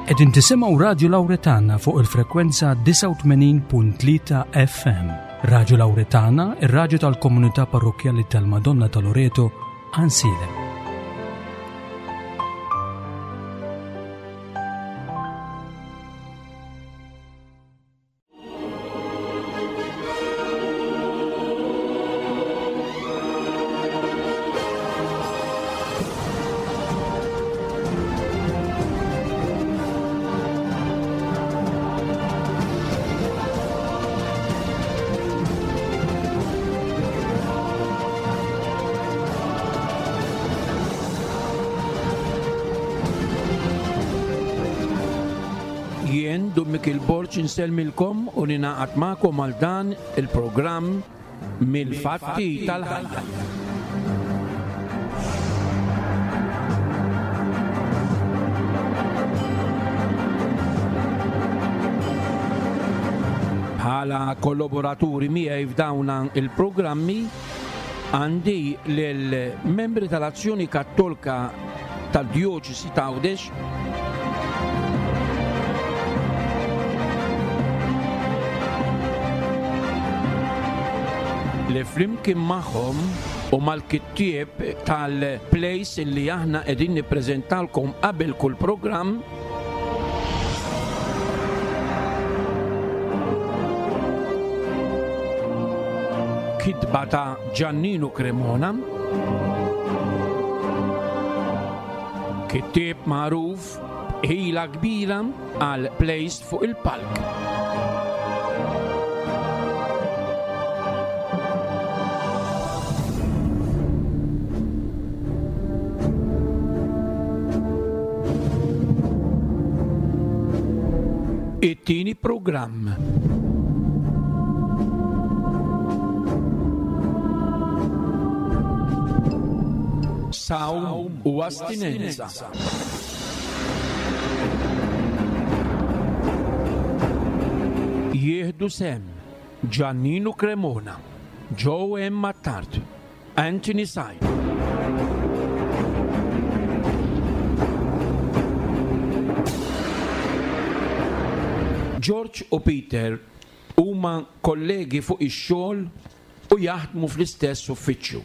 Qegħdin tisimgħu Radju Lawretana fuq il-frekwenza 89.3 FM. Radju Lawretana, ir-radju tal-komunità parrokkjali tal-Madonna ta' Loreto, Għansielem. Jien Dun Mikil Borg insellmilkom u ninaqat magħkom għal dan il-programm Mill-Fatti tal-Ħajja. Bħala kollaboraturi miegħi f'dawn il-programmi għandi lil membri tal-Azzjoni Kattolka tad-Djoċesi ta' Għawdex li flimkien magħhom u mal-kittieb tal-plays li aħna qegħdin nippreżentalkom qabel kull programm kitba ta' Giannino Cremona Kittieb magħruf b'ħila kbira għal plays fuq il-palk. It-tieni programm. Sawm u astinenza. Jieħdu sehem Giannino Cremona, Joe M. Attard, Anthony Said. George u Peter huma kollegi fuq ix-xogħol u jaħdmu fl-istess uffiċċju.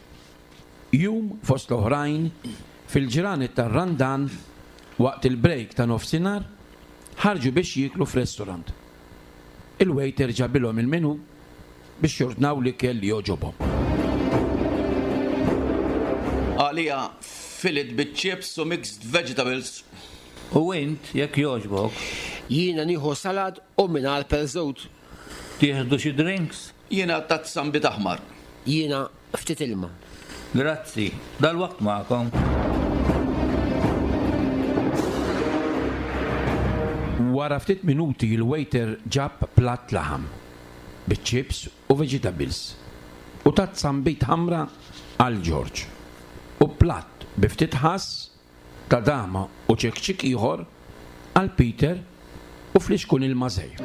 Jum fost l-oħrajn, fil-ġranet tar-Randan, waqt il-break ta' nofsinhar, ħarġu biex jieklu f'restaurant. Il-waiter ġabilhom il-menu biex jordnaw l-ikel li jogħġobhom. Għalija fillet biċ-chips u mixed vegetables. U int, jekk jogħġbok? Jiena nieħu salad u mingħajr perżut. Tieħdu xi drinks? Jiena tazza nbid aħmar. Jiena ftit ilma. Grazzi, dalwaqt magħkom. Wara ftit minuti l-waiter ġab platt laħam, biċ-chips u vegetables, u tazza nbid ħamra għal George, u platt bi ftit ħass ta' dama u ċekċik ieħor għal Peter u flixkun ilma żgħir.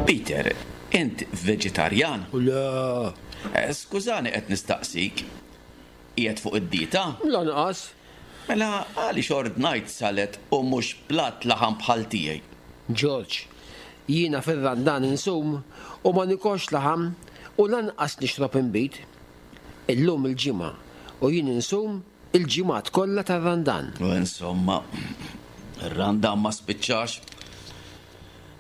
Peter, int veġitarjan? Le. Eh, skużani qed nistaqsik. Qiegħed fuq id-dieta? Lanqas. Mela għaliex ordnajt salad u mhux platt laħam bħal tiegħi? George, Jiena fir-Randan insum u ma nikolx laħam u lanqas nixrob inbid. Illum il-Ġimgħa u jien insum il-ġimgħat kollha tar-Randan. U insomma, ir-Randan ma spiċċax.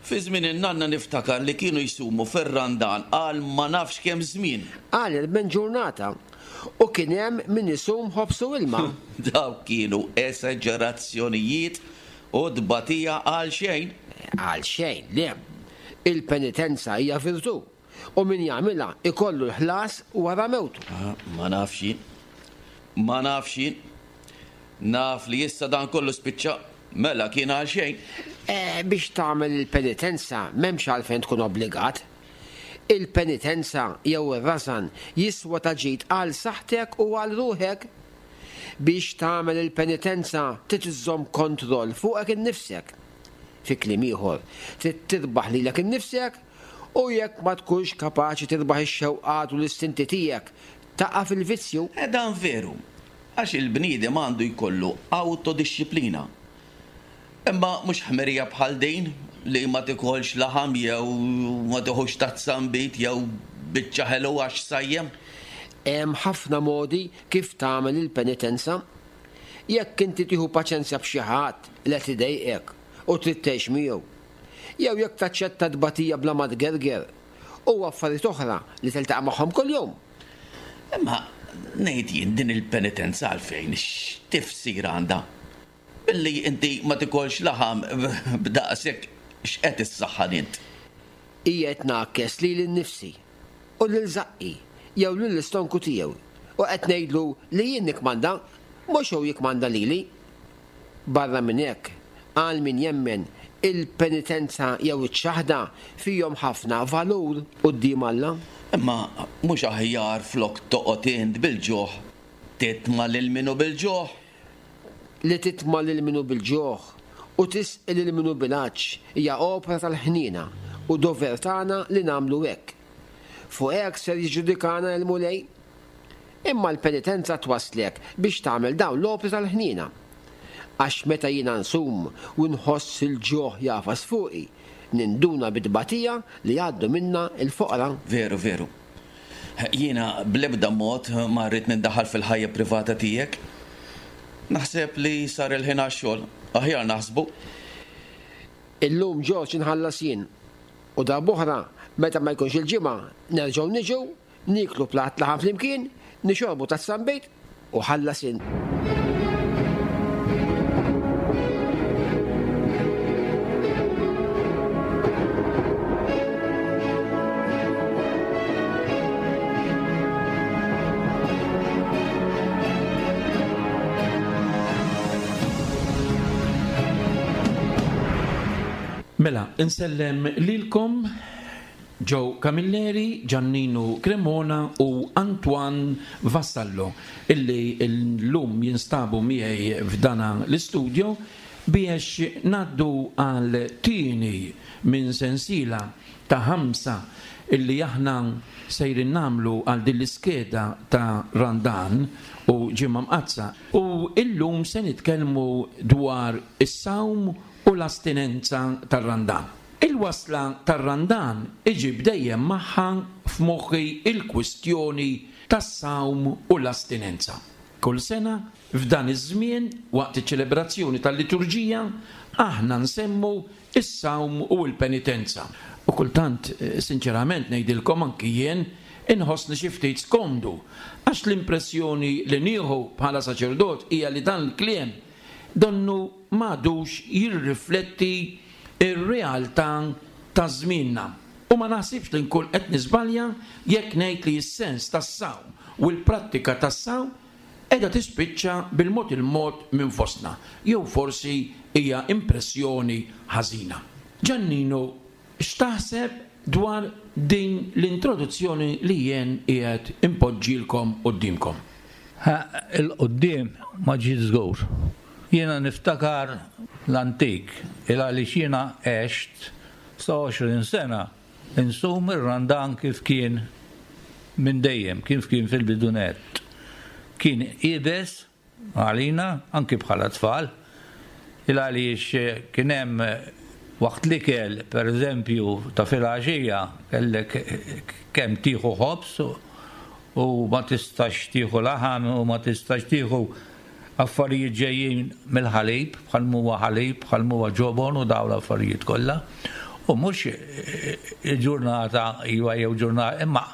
Fi żmien in-nanna niftakar li kienu jsumu fir-Randan għal ma nafx kemm żmien. Għal 40 ġurnata. U kien hemm min isum ħobż u ilma. Dawk kienu esaġerazzjonijiet u tbatija għal xejn. Għal xejn, le. Il-penitenza hija virtù, u min jagħmilha jkollu l-ħlas wara mewtu. Ma nafx jien. Ma nafx jien. Naf li issa dan kollu spiċċa. Mela kien għal xejn. Biex tagħmel il-penitenza m'hemmx għalfejn tkun obbligat. Il-penitenza jew ir-rażan jiswa ta' ġid għal saħħtek u għal ruħek. Biex tagħmel il-penitenza trid iżżomm kontroll fuqek innifsek. Fi kliem ieħor, trid tirbaħ lilek innifsek u jekk ma tkunx kapaċi tirbaħ ix-xewqat u l-istinti tiegħek, taqa' fil-vizzju. Eh dan veru, għax il-bniedem għandu jkollu awtodixxiplina. Imma mhux ħmerija bħal din, li ma tikolx laħam jew ma tiħux tazza nbid jew biċċa ħelu għax sajjem. Hemm ħafna modi kif tagħmel il-penitenza. Jekk inti tieħu paċenzja b'xi ħadd li qed idejqek u trid tgħix miegħu, jew jekk taċċetta t-tbatija bla ma tgerger, u affarijiet oħra li tiltaqa' magħhom kuljum. Imma ngħid jien din il-penitenza għalfejn, x'tifsir għandha? Billi inti ma tikolx laħam b'daqshekk x'qed issaħħan int? Qiegħed ngħakkes lili nnifsi u lil żaqqi jew lill-istonku tiegħu u qed ngħidlu li jien nikkmanda, mhux hu jikkmanda lili. Barra minn hekk, għal min jemmen, il-penitenza jew iċ-ċaħda fihom ħafna valur quddiem Alla. Imma mhux aħjar flok toqgħod int bil-ġuħ titma' lil min hu bil-ġuħ? Li titma' lil min hu bil-ġuħ u tisqi lil min hu bil-għatx hija opra tal-ħniena u dover tagħna li nagħmlu hekk. Fuq hekk ser jiġġudikana l-Mulej. Imma l-penitenza twasslek biex tagħmel dawn l-opri tal-ħniena. Għax meta jiena nsum u nħoss il-ġuħ jagħfas fuqi, ninduna bit-tbatija li jgħaddu minnha l-foqra. Veru, veru. Jiena bl-ebda mod ma rrid nindaħal fil-ħajja privata tiegħek. Naħseb li sar il-ħin għax-xogħol. Aħjar naħsbu. Illum Ġorġ inħallas jien. U darb'oħra, meta ma jkunx il-Ġimgħa, nerġgħu niġu, nieklu platt laħam flimkien, nixorbu tazza nbid u ħallas int. Mela, insellem lilkom Joe Camilleri, Giannino Cremona u Antoine Vassallo illi llum jinstabu miegħi f'dana l-istudio biex ngħaddu għal tieni minn sensiela ta' ħamsa illi aħna sejrin nagħmlu għal din l-iskeda ta' Randan u Ġimgħa Mqaddsa. U illum se nitkellmu dwar is-sawm u l-astinenza tar-Randan. Il-wasla tar-Randan iġib dejjem magħha f'moħħi l-kwistjoni tas-sawm u l-astinenza. Kull sena, f'dan iż-żmien, waqt iċ-ċelebrazzjoni tal-liturġija, aħna nsemmu s-sawm u l-penitenza. U kultant, sinċerament ngħidilkom anki jien, inħossni xi ftit skomdu, għax l-impressjoni li nieħu bħala saċerdot hija li dan il-kliem donnu m'għadux jirrifletti r-realtà ta' żmienna. U ma naħsibx li nkun qed niżbalja jekk ngħid li s-sens tas-sawm u l-prattika tas-sawm qiegħda tispiċċa bil-mod il-mod minn fostna, jew forsi hija impressjoni ħażina. Giannino, x'taħseb dwar din l-introduzzjoni li jien qiegħed inpoġġilkom quddiemkom? Ha, 'il quddiem ma ġiet żgur. Jiena niftakar l-antik, il għaliex jiena għext sa 20 sena insum ir-Randan kif kien minn dejjem, kif kien fil-bidu nett. Kien iebes għalina, anki bħala tfal, il għaliex kien hemm waqt l-ikel, per eżempju, ta' filgħaxija kellek kemm tieħu ħobż u ma tistax tieħu laħam u ma tistax tieħu affarijiet ġejjin mill-ħalib, bħal m'huwa ħalib, bħal m'huwa ġobon u dawn l-affarijiet kollha. U mhux il-ġurnata iva jew ġurnata, imma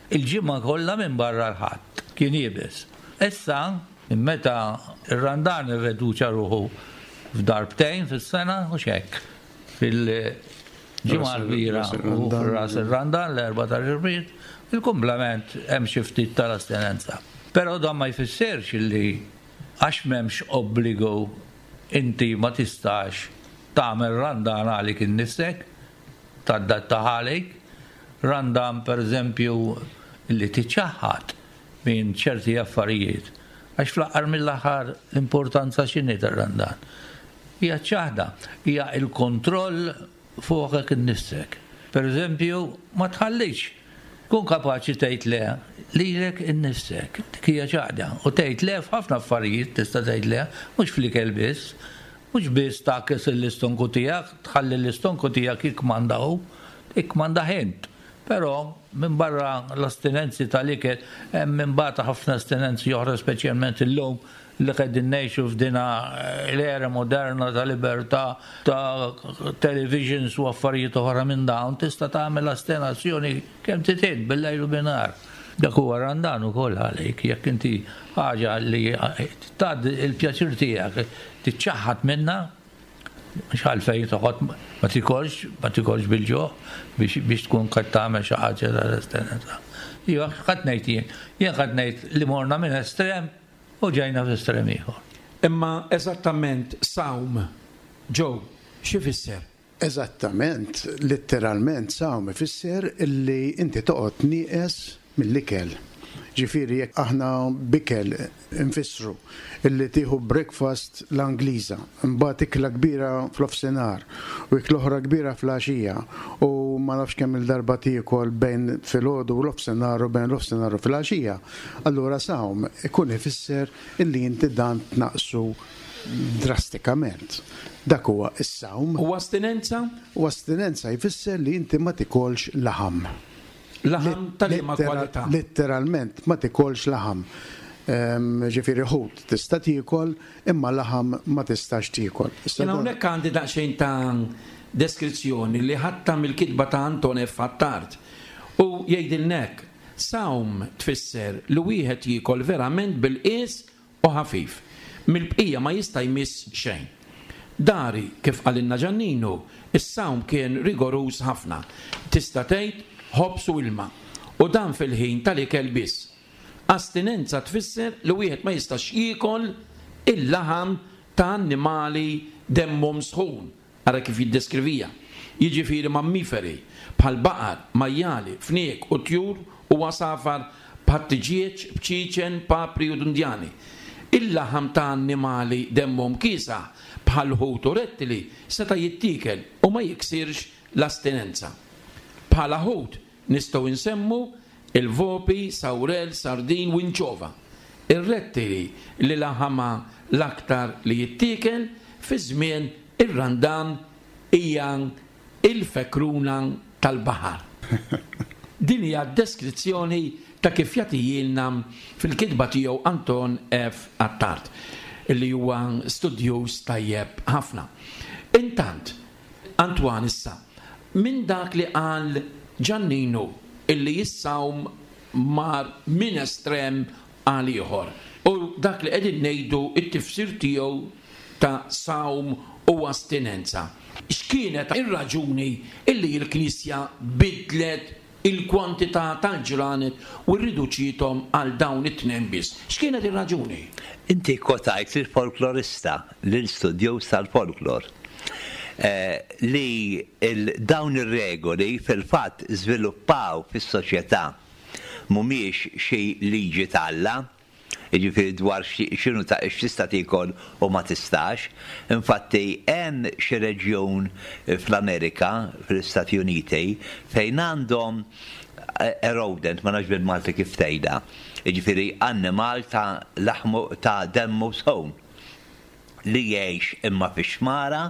il-ġimgħa kollha minn barra l-Ħadd kien iebes. Issa, minn meta r-Randan irreduċa ruħu f'darbtejn fis-sena, mhux hekk, fil-Ġimgħa l-Kbira u fir-Ras ir-Randan, l-Erbgħa tal-Irmied, il-kumplament hemm xi ftit tal-astinenza. Però dan ma jfissirx li għax m'hemmx obbligu inti ma tistax tagħmel Randan għalik innifsek, tadattaha għalik. Randan pereżempju li tiċċaħħad minn ċerti affarijiet. Għax fl-aħħar mill-aħħar l-importanza x'inhi tar-Randan? Hija ċ-ċaħda, hija l-kontroll fuqek innifsek. Per eżempju, ma tħallix. Kun kapaċi tgħid le. lilek innifsek. Dik hija ċaħda. U tgħid le f'ħafna affarijiet tista' tgħid le, mhux fl-ikel biss. Mhux biss tgħakkes l-istonku tiegħek, tħalli l-istonku tiegħek jikkmanda hu, ikkmandah int. Però, minbarra l-astinenzi tal-ikel, hemm imbagħad ħafna astinenzi oħra speċjalment illum li qegħdin ngħixu f'dina l-era moderna ta' libertà ta' televisions u affarijiet oħra minn dawn, tista' tagħmel astinazzjoni kemm trid int bil-lejl u bin-nhar. Dak huwa Randan ukoll għalik, jekk inti ħaġa li tgħaddi l-pjaċir tiegħek tiċċaħħad minnha, mhux għalfejn toqgħod ma tikolx, ma tikolx bil-ġuħ biex biex tkun qed tagħmel xi ħaġa tal-astinenza. Iva, x'qed ngħid jien? Jien qed ngħid li morna minn estrem U ġejna f'estrem ieħor. Imma eżattament sawm, Joe, x'ifisser? Eżattament, litteralment sawm ifisser li inti toqgħod nieqes mill-ikel. Ġifieri jekk aħna b'ikel infissru illi tieħu breakfast l-Angliża, imbagħad ikla kbira fl-ofsinhar u ikla oħra kbira fl-għaxija u ma nafx kemm-il darba tiekol bejn filgħodu u l-ofsinhar u bejn l-ofsinhar u filgħaxija, Allura sawm ikun ifisser illi inti dan tnaqqsu drastikament. Dak huwa s-sawm. U astinenza? U astinenza jfisser li inti ma tikolx laħam. Laħam ta' liema kwalità? Litteralment ma tikolx laħam. Ġifieri ħut tista' tiekol imma laħam ma tistax tiekol. Jien hawnhekk għandi daqsxejn ta' deskrizzjoni li ħadtha mill-kitba ta' Anton F. Attard u jgħidilna hekk, Sawm tfisser li wieħed jiekol verament bil-qies u ħafif. Mill-bqija ma jista' jmiss xejn. Dari, kif qalilna Ġanninu, is-sawm kien rigoruż ħafna. Tista' tgħid ħobż u ilma. U dan fil-ħin tal-ikel biss. Astinenza tfisser li wieħed ma jistax jiekol il-laħam ta' annimali demmhom sħun. Ara kif jiddeskrivija. Jiġifieri mammiferi, bħal baqar, majjali, fniek u tjur u għasafar bħat-tiġieġ, bċiċen, papri u dundjani. Il-laħam ta' annimali demmhom kiesaħ, bħal ħut u rettili, seta' jittiekel u ma jiksirx l-astinenza. Bħala ħut, Nistgħu nsemmu il-vopi, sawrell, sardin u inċova. Ir-rettili li laħamha l-aktar li jittiekel fi żmien ir-Randan hija l-fekruna tal-baħar. Din hija d-deskrizzjoni ta' kif jagħtihielna fil-kitba tiegħu Anton F. Attard, li huwa studjuż tajjeb ħafna. Intant, Antoine issa, minn dak li qal Ġanninu illi s-sawm mar minn estrem għal ieħor u dak li qegħdin ngħidu t-tifsir tiegħu ta' sawm u astinenza. X'kienet ir-raġuni illi l-Knisja bidlet il-kwantità tal-ġranet u rriduċiethom għal dawn it-tnejn biss. X'kienet ir-raġuni? Inti kkwotajt lill-folklorista, lil studjuż tal-folklor, li dawn ir-regoli fil-fatt żviluppaw fis-soċjetà, mhumiex xi liġi t'Alla. Jiġifieri dwar x'inhu ta' x'tista' tiekol u ma tistax. Infatti hemm xi reġjun fl-Amerika, fl-Istati Uniti, fejn għandhom a rodent, ma nafx bil-Malti kif tgħidha, jiġifieri annimal ta' laħmu ta' demmu sħun. li jgħix imma fix-xmara,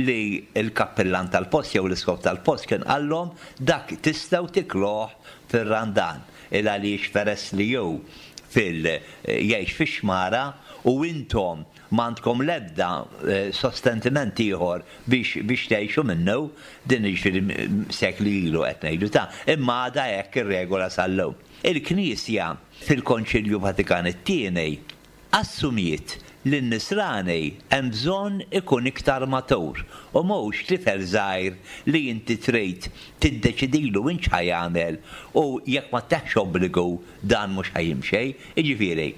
li l-kappillan tal-post jew l-isqof tal-post kien qallhom dak tistgħu tikluh fir-Randan, il għaliex peress li hu fil jgħix fix-xmara u intom m'għandkom l-ebda sostentiment ieħor biex biex tgħixu minnu, din jiġifieri sekli ilu qed ngħidu ta' imma għadha hekk ir-regola sal-lum. Il-Knisja fil-Konċilju Vatikan it-Tieni Assumiet li n-Nisrani hemm bżonn ikun iktar matur u mhux tifel żgħir li inti trid tiddeċidilu int x'ħa jagħmel u jekk ma ttihx obbligu dan mhux ħa jimxi. Jiġifieri,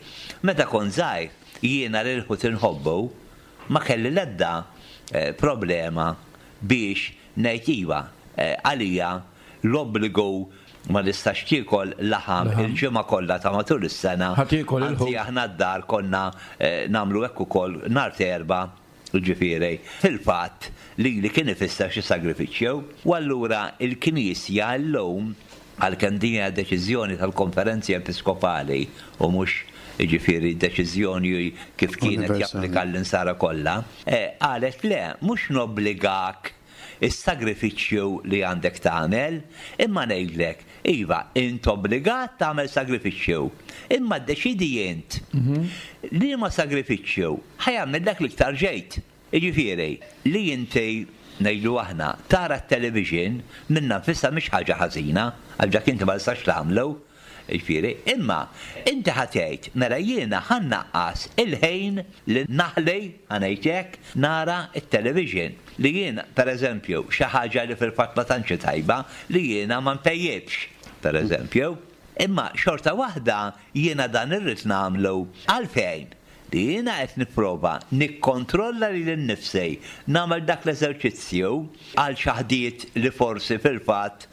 meta kont żgħir jiena lil ħuti nħobbu ma kelli l-ebda problema biex ngħid iva għalija l-obbligu ma nistax tiekol laħam il-ġimgħa kollha ta' matul is-sena. Ħa tiekol il-ħut. Anzi aħna d-dar konna nagħmlu hekk ukoll nhar t'Erbgħa, jiġifieri fil-fatt lili kien ifisser xi sagrifiċċju. U allura l-Knisja llum. Għalkemm din hija deċiżjoni tal-Konferenzi Episkopali u mhux, jiġifieri, deċiżjoni kif kienet japplika l-insara kollha, qalet le, mhux nobbligak is-sagrifiċċju li għandek tagħmel, imma ngħidlek, iva, int obbligat tagħmel sagrifiċċju, imma ddeċiedi int liema sagrifiċċju ħa jagħmillek l-iktar ġid. Jiġifieri, li inti, ngħidu aħna, tara t-television minnha nfisha mhix ħaġa ħażina, għax dak inti ma tistax tagħmlu, jiġifieri, imma inti ħa tgħid, mela jiena ħa nnaqqas il-ħin li naħli, ħa ngħid hekk, nara t-television. Li jiena, pereżempju, xi ħaġa li fil-fatt ma tantx hi tajba, li jiena ma npejjipx, pereżempju. Imma xorta waħda jiena dan irrid nagħmlu. Għalfejn? Li jiena qed nipprova nikkontrolla lili nnifsi nagħmel dak l-eżerċizzju għal xaħdiet li forsi fil-fatt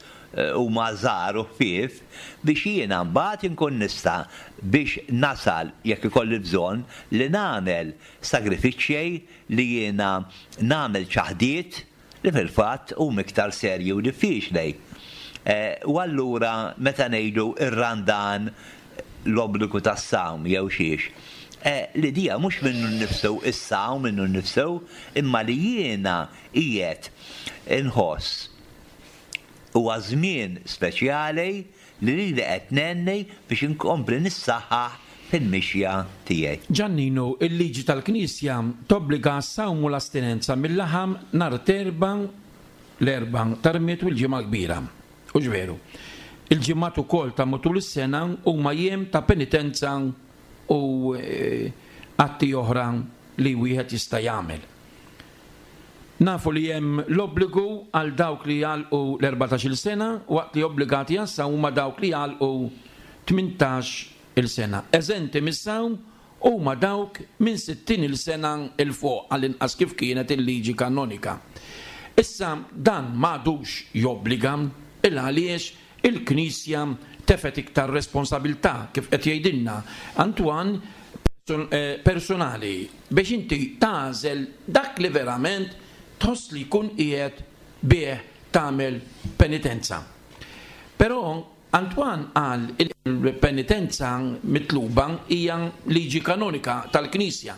huma żgħar u ħfief biex jiena mbagħad inkun nista' biex nasal jekk ikolli bżonn li nagħmel sagrifiċċji li jiena nagħmel ċaħdiet li fil-fatt huma iktar serji u diffiċli. U allura meta ngħidu r-Randan l-obbligu tas-sawm jew xiex, l-idea mhux minnu nnifsu is-sawm minnu nnifsu, imma li jiena qiegħed inħoss huwa żmien speċjali li lili qed ngħinni biex inkompli nissaħħaħ fil-mixja tiegħi. Ġanninu, il-liġi tal-Knisja tobbliga għas-sawm u l-astinenza mil-laħam nhar t'Erbgħa, l-Erbgħa tar-Rmied u l-Ġimgħa l-Kbira. Hux veru? Il-ġimgħat ukoll ta' matul is-sena huma jiem ta' penitenza u atti oħra li wieħed jista' jagħmel. Nafu li hemm l-obbligu għal dawk li jagħlqu l-erbatax-il sena waqt li obbligati għas-sawm huma dawk li jagħlqu tmintax-il sena. Eżenti mis-sawm huma dawk minn sittin-il sena 'l fuq, għall-inqas kif kienet il-liġi kanonika. Issa dan m'għadux jobbliga 'l għaliex il-Knisja tefgħet iktar responsabilità, kif qed jgħidilna Antoine, personali biex inti tagħżel dak li verament tħoss li jkun qiegħed bih tagħmel penitenza. Però Antoine qal il-penitenza mitluba hija liġi kanonika tal-Knisja,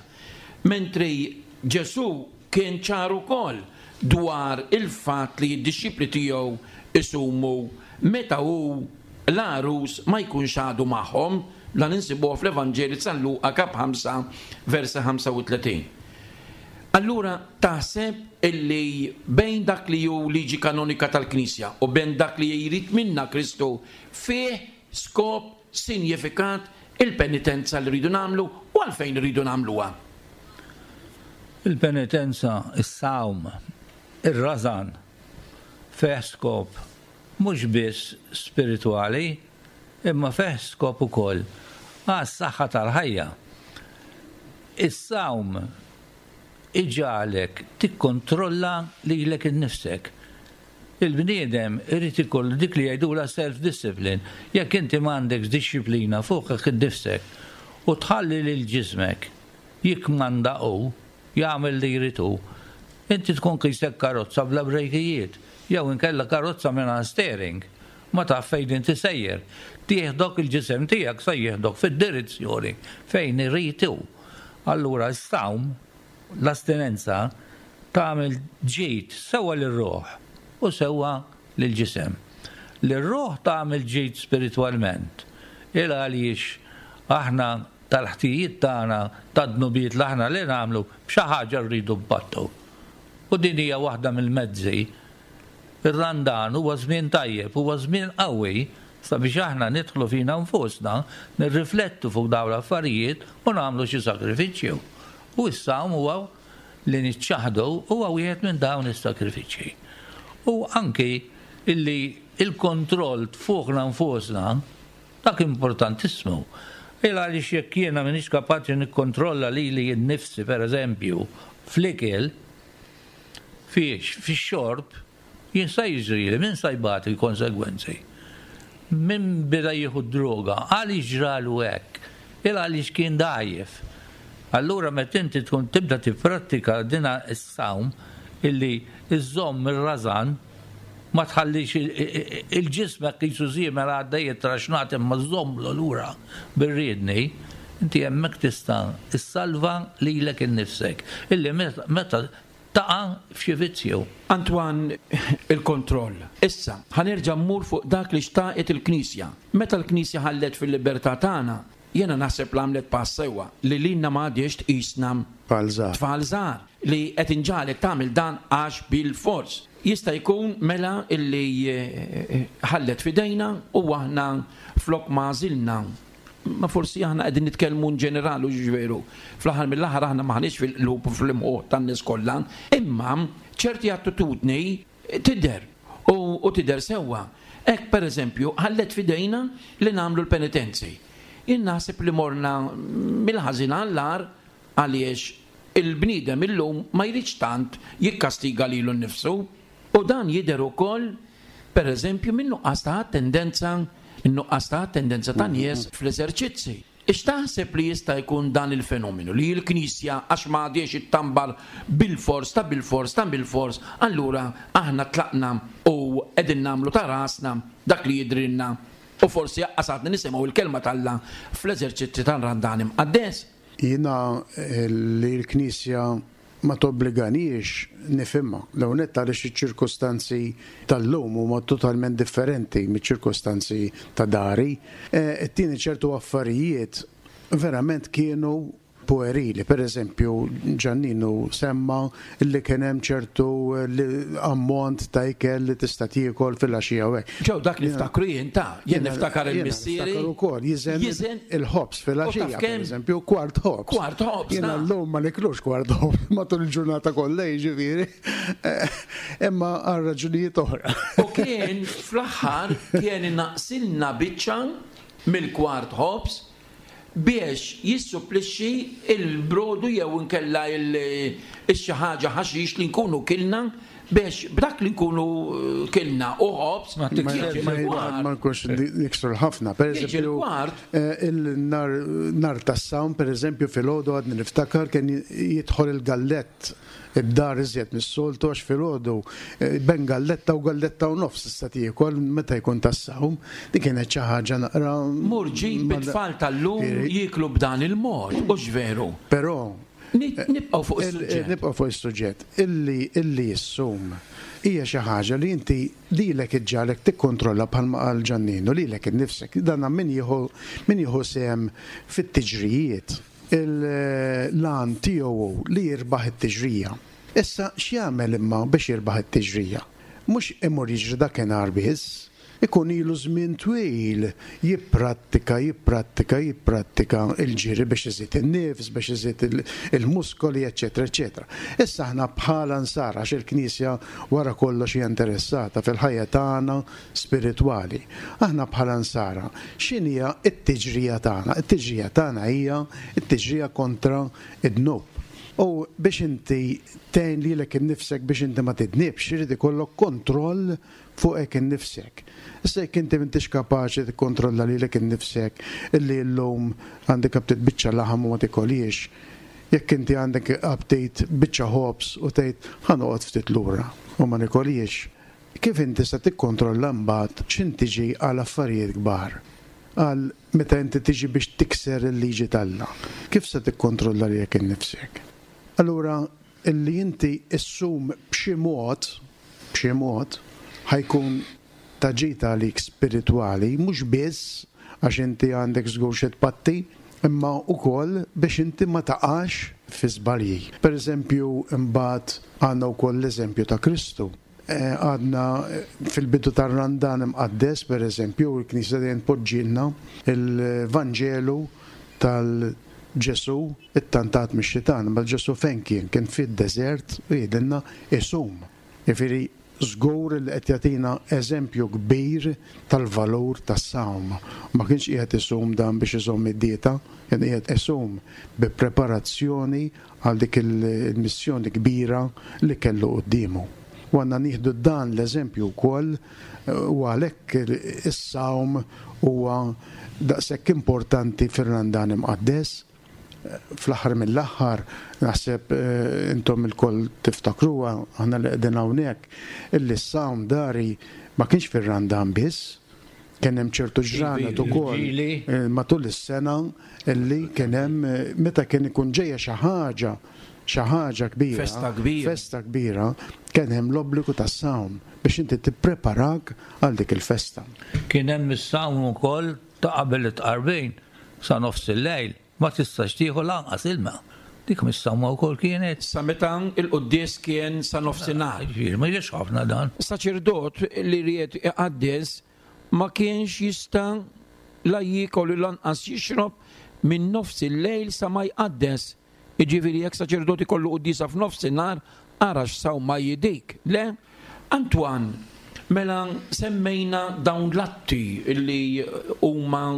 mentri Ġesù kien ċar ukoll dwar il-fatt li d-dixxipli tiegħu jsumu meta hu l-għarus ma jkunx għadu magħhom, dan insibuh fl-Evanġelju ta' San Luqa kap 5 versi 35. Allura taħseb illi bejn dak li hu liġi kanonika tal-Knisja u bejn dak li jrid minna Kristu fih skop, sinjifikat, il-penitenza li rridu nagħmlu u għalfejn irridu nagħmluha? Il-penitenza, is-sawm, ir-rażan fih skop mhux biss spiritwali imma fih skop ukoll għas-saħħa tal-ħajja. Is-sawm iġagħlek tikkontrolla lilek innifsek. Il-bniedem irid ikollu dik li jgħidulha self-discipline. Jekk inti m'għandekx dixxiplina fuqek innifsek u tħalli lil ġismek jikkmanda hu, jagħmel li jrid hu, inti tkun qisek karozza bla brejkijiet jew inkella karozza mingħajr steering. Ma taf fejn inti sejjer. Tieħdok il-ġisem tiegħek se jieħdok fid-direzzjoni fejn irid hu. Allura s-sawm, l-astinenza, tagħmel ġid sewwa lir-ruħ u sewwa lill-ġisem. Lir-ruħ tagħmel ġid spiritwalment, il għaliex aħna tal-ħtijiet tagħna, tad-dnubiet li aħna li nagħmlu, b'xi ħaġa rridu npattu. U din hija waħda mill-mezzi. Ir-Randan huwa żmien tajjeb, huwa żmien qawwi sabiex aħna nidħlu fina nfusna, nirriflettu fuq dawn l-affarijiet u nagħmlu xi sagrifiċċju. U s-sawm huwa li niċċaħħdu huwa wieħed minn dawn is-sagrifiċċji. U anki illi l-kontroll fuqna nfusna, dak importantissimu. Il għaliex jekk jiena m'iniex kapaċi nikkontrolla lili nnifsi pereżempju fl-ikel, fiex, fix-xorb, Jien sa jiġrili? Min sa jbati l-konsegwenzi? Min beda jieħu d-droga? Għaliex ġralu hekk? Il għaliex kien dgħajjef. Allura meta inti tkun tibda tipprattika dina s-sawm illi żżomm ir-rażan, Ma tħallix il-ġismek qisu żiemel għaddej ittraxnat imma żżommlu lura bir-riedni, inti hemmhekk tista' ssalva lilek innifsek illi meta taqa' f'xi vizzju. Antoine, Il-kontroll. Issa, ħa nerġa' mmur fuq dak li xtaqet il-Knisja. Meta l-Knisja ħallet fil-libertà tagħna, jiena naħseb li għamlet pass sewwa, li lilna ma għadhiex tqisna Tfal żgħar. tfal żgħar, li qed inġagħlek tagħmel dan għax bilfors. Jista' jkun mela illi ħallet f'idejna u aħna flok ma għażilna Ma forsi aħna qegħdin nitkellmu in ġeneral hux veru. Fl-aħħar mill-aħħar aħna m'aħniex fil-qlub u fl-imħuħ tan-nies kollha, imma ċerti attitudni tidher u tidher sewwa. Hekk pereżempju ħallet f'idejna li nagħmlu l-penitenzi. Jien naħseb li morna mill-ħażin għall-agħar għaliex il-bniedem illum ma jridx tant jikkastiga lilu nnifsu. U dan jidher ukoll, per eżempju, min-nuqqas ta' attendenza, in-nuqqas ta' attendenza ta' nies fl-eżerċizzi. X'taħseb li jista' jkun dan il-fenomenu, li l-Knisja għax ma għadhiex ittambar bilfors ta' bilfors ta' bilfors, allura aħna tlaqna u qegħdin nagħmlu ta' rasna dak li jidhrilna u forsi aqqas għadna nisimgħu l-Kelma t'Alla fl-eżerċizzi tal-Randan Imqaddes? Jiena li l-Knisja ma tobbliganiex nifhimha. L-ewwel nett għaliex iċ-ċirkustanzi tal-lum huma totalment differenti miċ-ċirkustanzi ta' dari. It-tieni ċertu affarijiet verament kienu puerili. Per eżempju, Ġanninu semma li kien hemm ċertu ammont ta' ikel li tista' tiekol filgħaxija u hekk. Ġew dak niftakru jien ta', jien niftakar il-missieri. Niftakar ukoll jiżen il-ħobż filgħaxija, pereżempju, kwart ħobż. Kwart ħobż. Jiena llum ma niklux kwart ħobż matul il-ġurnata kollha, jiġifieri. Imma għal raġunijiet oħra. U kien fl-aħħar kien inaqqsilna biċċa mill-kwart ħobż biex jissupplixxi l-brodu jew inkella x-xi ħaġa ħaxix li nkunu kilna biex b'dak li nkunu kilna u ħobż jiġi l-kwart. Ma nkunx niksru ħafna. Per eżempju, il-nhar tas-sawm, per eżempju, filgħodu għadni niftakar kien jidħol il-gallett id-dar iżjed mis-soltu għax filgħodu ben galletta u galletta u nofs tista' tiekol meta jkun tas-sawm. Din kienet xi ħaġa naqra. Mur ġib it-tfal tal-lum jieklu b'dan il-mod, hux veru? Però Nibqgħu fuq is-suġġett. Nibqgħu fuq is-suġġett. Illi illi ssum hija xi ħaġa li inti lilek iġġagħlek tikkontrolla bħalma qal Ġanninu lilek innifsek. Dan min jieħu min jieħu sehem fit-tiġrijiet. Il-għan tiegħu hu li jirbaħ it-tiġrija. Issa x'jagħmel imma biex jirbaħ it-tiġrija? Mhux imur jiġri dakinhar biss. Ikun ilu żmien twil jipprattika, jipprattika, jipprattika l-ġiri biex iżid in-nifs, biex iżid il-muskoli, eċċetera, eċċetera. Issa aħna bħala Nsara, għax il-Knisja wara kollox hija interessata fil-ħajja tagħna spiritwali. Aħna bħala Nsara, x'inhija t-tiġrija tagħna? It-tiġrija tagħna hija t-tiġrija kontra d-dnub. U biex inti tgħin lilek innifsek biex inti ma tidnibx, irid ikollok kontroll fuqek innifsek. Issa jekk inti m'intix kapaċi tikkontrolla lilek innifsek illi llum għandek aptit biċċa laħam u ma tikolhiex, jekk inti għandek aptit biċċa ħobż u tgħid ħa noqgħod ftit lura u ma nikolhiex, kif inti se tikkontrolla mbagħad x'int tiġi għal affarijiet kbar? Għal meta inti tiġi biex tikser il-liġi t'Alla, kif se tikkontrolla lilek innifsek? Allura Illi inti ssum b'xi mod, b'xi mod, ħa jkun ta' ġid għalik spiritwali, mhux biss għax inti għandek żgur xi tpatti, imma wkoll biex inti ma taqax fi żbalji. Per eżempju, imbagħad għandna wkoll l-eżempju ta' Kristu. Għadna fil-bidu tar-Randan Imqaddes, per eżempju, il-Knisja dejjem tpoġġilna l-Vanġelu tal Ġesù ttantat mix-xitan, imma Ġesù fejn kien? Kien fid-deżert u jgħidilna isum. Jiġifieri żgur li qed jagħtina eżempju kbir tal-valur tas-sawm. Ma kienx qiegħed isum dan biex iżomm id-dieta, kien qiegħed isum bi preparazzjoni għal dik il-missjoni kbira li kellu quddiemu. U għandna nieħdu dan l-eżempju wkoll u għalhekk is-sawm huwa daqshekk importanti fir-Randan Imqaddes. Fl-aħħar mill-aħħar naħseb intom ilkoll tiftakruha, aħna li qegħdin hawnhekk, illi s-sawm dari ma kienx fir-Randan biss, kien hemm ċertu ġranet ukoll matul is-sena illi kien hemm meta kien ikun ġejja xi ħaġa, xi ħaġa kbira, Festa kbira. festa kbira, kien hemm l-obbligu tas-sawm biex inti tippreparak għal dik il-festa. Kien hemm is-sawm ukoll ta' qabel it-tqarbin sa nofs il-lejl ma tistax tieħu lanqas ilma. Dik mis-sawma wkoll kienet. Sa meta l-quddies kien sa nofsinhar. Jiġifieri ma jiġix ħafna dan. Saċerdot li ried iqaddes ma kienx jista' la jiekol u lanqas jixrob minn nofs il-lejl sa ma jqaddes. Jiġifieri jekk saċerdot ikollu quddiesa f'nofsinhar, ara x'sawma hi dik, le? Antoine, Mela semmejna dawn l-atti li huma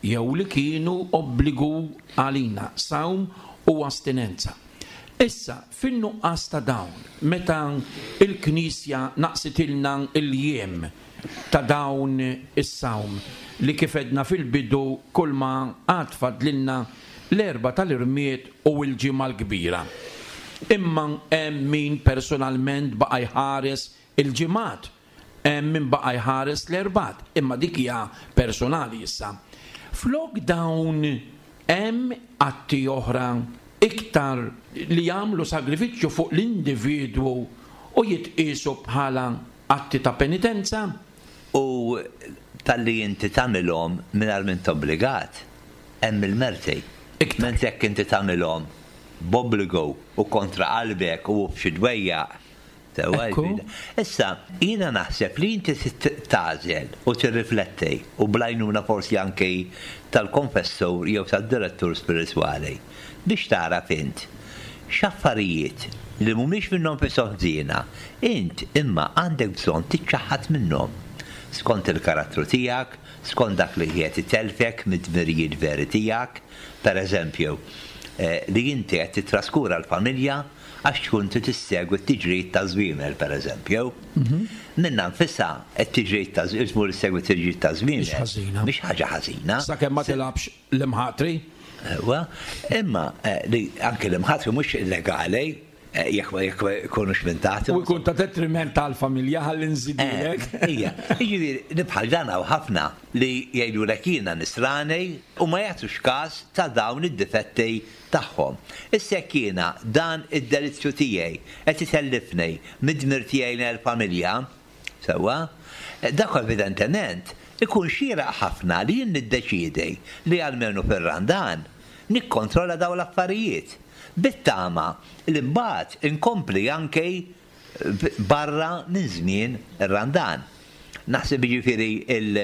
jew li kienu obbligu għalina, sawm u astinenza. Issa, fin-nuqqas ta' dawn, meta l-Knisja naqsitilna l-jiem ta' dawn is-sawm li kif għedna fil-bidu kulma għad fadlilna l-Erbgħa tal-Irmied u l-Ġimgħa l-Kbira. Imma hemm min personalment baqa' jħares il-ġimgħat, hemm min baqa' jħares l-Erbgħat, imma dik hija personali issa. Flok dawn hemm atti oħra iktar li jagħmlu sagrifiċċju fuq l-individwu u jitqiesu bħala atti ta' penitenza. U talli inti tagħmilhom mingħajr m'int obbligat, hemm il-merti. Mentri jekk inti tagħmilhom b'obbligu u kontra qalbek u b'xi dwejjaq, sewwa jiġifieri. Issa, jiena naħseb li inti trid tagħżel u tirrifletti, u bl-għajnuna forsi anki tal-konfessur jew tad-direttur spiritwali, biex tagħraf int x'affarijiet li mhumiex minnhom nfishom ħżiena, int imma għandek bżonn tiċċaħħad minnhom, skont il-karattru tiegħek, skont dak li qiegħed itellfek mid-dmirijiet veri tiegħek, per eżempju, li inti qed tittraskura l-familja għax tkun trid issegwi t-tiġrijiet taż-żwiemel, per eżempju. Minnha nfisha, t-tiġrijiet ta' tmur issegwi t-tiġrijiet taż-żwiemel. Mhix ħażina. Mhix ħaġa ħażina. Sakemm ma tilgħabx l-imħatri. Ewa, imma li anke l-imħatri mhux illegali, jekk ma jekk ma jkunux minn taħt. U jkun ta' detriment għall-familja ħalli nżidilek. Ija, jiġifieri li bħal dan hawn ħafna li jgħidulek jiena nisrani u ma jagħtux każ ta' dawn id-difetti tagħhom. Issa jekk jiena dan id-delizzju tiegħi qed itellifni mid-dmir tiegħi lejn il-familja, sewwa, dak evidentement ikun xieraq ħafna li jien niddeċiedi li almenu fir-Randan nikkontrolla dawn l-affarijiet. Bit-tama li mbagħad inkompli anke barra minn żmien ir-Randan. Naħseb jiġifieri il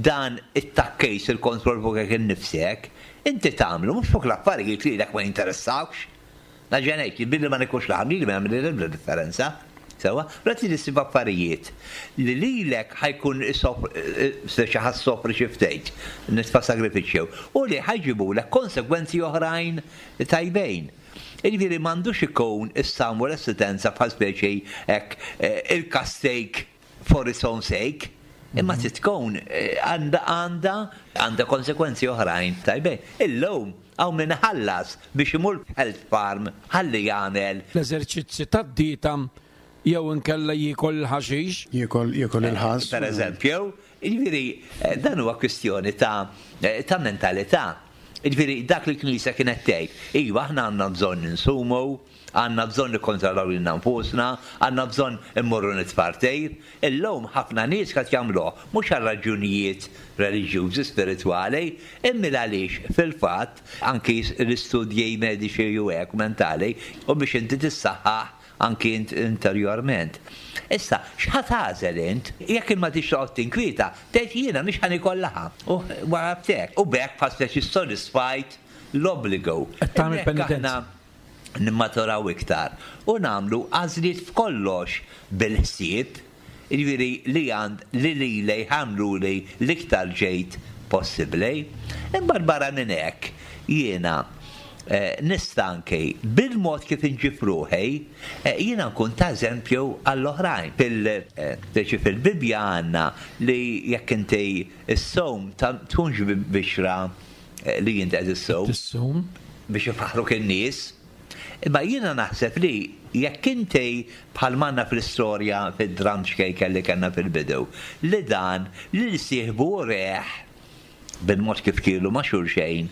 dan it-tgħakkis il-kontroll fuqek innifsek, inti tagħmlu mhux fuq l-affarijiet li lilek ma jinteressawkx. Nerġa' ngħid li billi ma nikolx laħam lili ma jagħmilli l-ebda differenza. Sewwa? Allura trid issib affarijiet li lilek ħa jkun speċi ħa ssofri xi ftit, nitfa' sagrifiċċju, u li ħa jġibulek konsegwenzi oħrajn tajbin. Jiġifieri m'għandux ikun is-sawm u l-assistenza bħal speċi hekk il-kastejk for its own sake, imma trid tkun għandha għandha għandha konsegwenzi oħrajn tajbin. Illum hawn min iħallas biex imur f'health farm ħalli jagħmel. L-eżerċizzi tad-dieta jew inkella jiekol il-ħaxix. Jiekol jiekol il-ħass. Per eżempju, jiġifieri dan huwa kwistjoni ta' ta' mentalità. Jiġifieri dak li l-Knisja kienet tgħid, iva aħna għandna bżonn insumu, għandna bżonn nikkontrollaw lilna nfusna, għandna bżonn immorru nitpartejr. Illum ħafna nies qed jagħmluh mhux għal raġunijiet reliġjużi, spiritwali, imma għaliex fil-fatt anki l-istudji mediċi u hekk mentali u biex inti tissaħħaħ anki int interjorment. Issa, x'ħa tagħżel int? Jekk int ma tridx toqgħod tinkwieta, tgħid jiena mhix ħa niekol laħam. U wara ftek. U b'hekk bħal speċi ssodisfajt l-obbligu. Qed tagħmel penitenza. Aħna nimmaturaw iktar u nagħmlu għażliet f'kollox bil-ħsieb Jiġifieri li għand li lili jagħmluli l-iktar ġid possibbli. Imbagħad barra minn hekk jiena nista' anki bil-mod kif inġib ruħi jiena nkun ta' eżempju għall-oħrajn. Fil speċi fil-Bibbja għandna li jekk inti ssum tkunx bixra li int qed issum. Tissum. biex ifaħħruk in-nies. Imma jiena naħseb li jekk inti bħal m'għandna fl-istorja fid-dramm ċkejken li kellna fil-bidu, li dan lil sieħbu ureh bil-mod kif kielu ma' xulxejn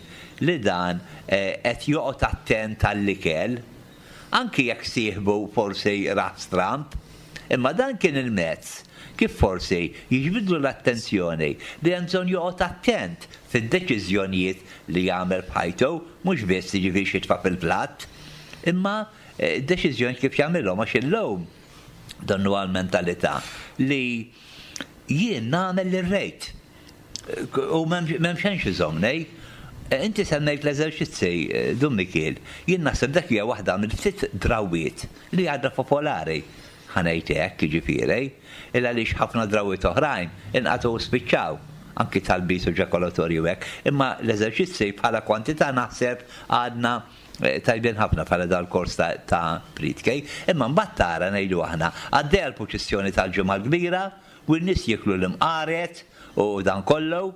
li dan qed joqgħod attent għall-ikel, anki jekk sieħbu forsi rah stramb, imma dan kien il-mezz kif forsi jiġbidlu l-attenzjoni li hemm bżonn joqgħod attent fid-deċiżjonijiet li jagħmel f'ħajtu, mhux biss jiġifieri x'jitfa' fil-platt, imma d-deċiżjonijiet kif jagħmilhom għax illum donnu għall-mentalità li jien nagħmel li rrid. U m'hemm xejn x'iżommni. Inti semmejt l-eżerċizzi, Dun Mikiel. Jien naħseb dak hija waħda mill-ftit drawwiet li għadha popolari, ħa ngħid hekk, jiġifieri, il għaliex ħafna drawwiet oħrajn inqatgħu u spiċċaw, anki talbiet u ġakolatorji u hekk. Imma l-eżerċizzi bħala kwantità naħseb għadna tajbin ħafna bħala dal-kors ta' prietki. Imma mbagħad tara, ngħidu aħna, għaddejja l-purċissjoni tal-Ġimgħa l-Kbira, U n-nies jieklu l-imqaret u dan kollu.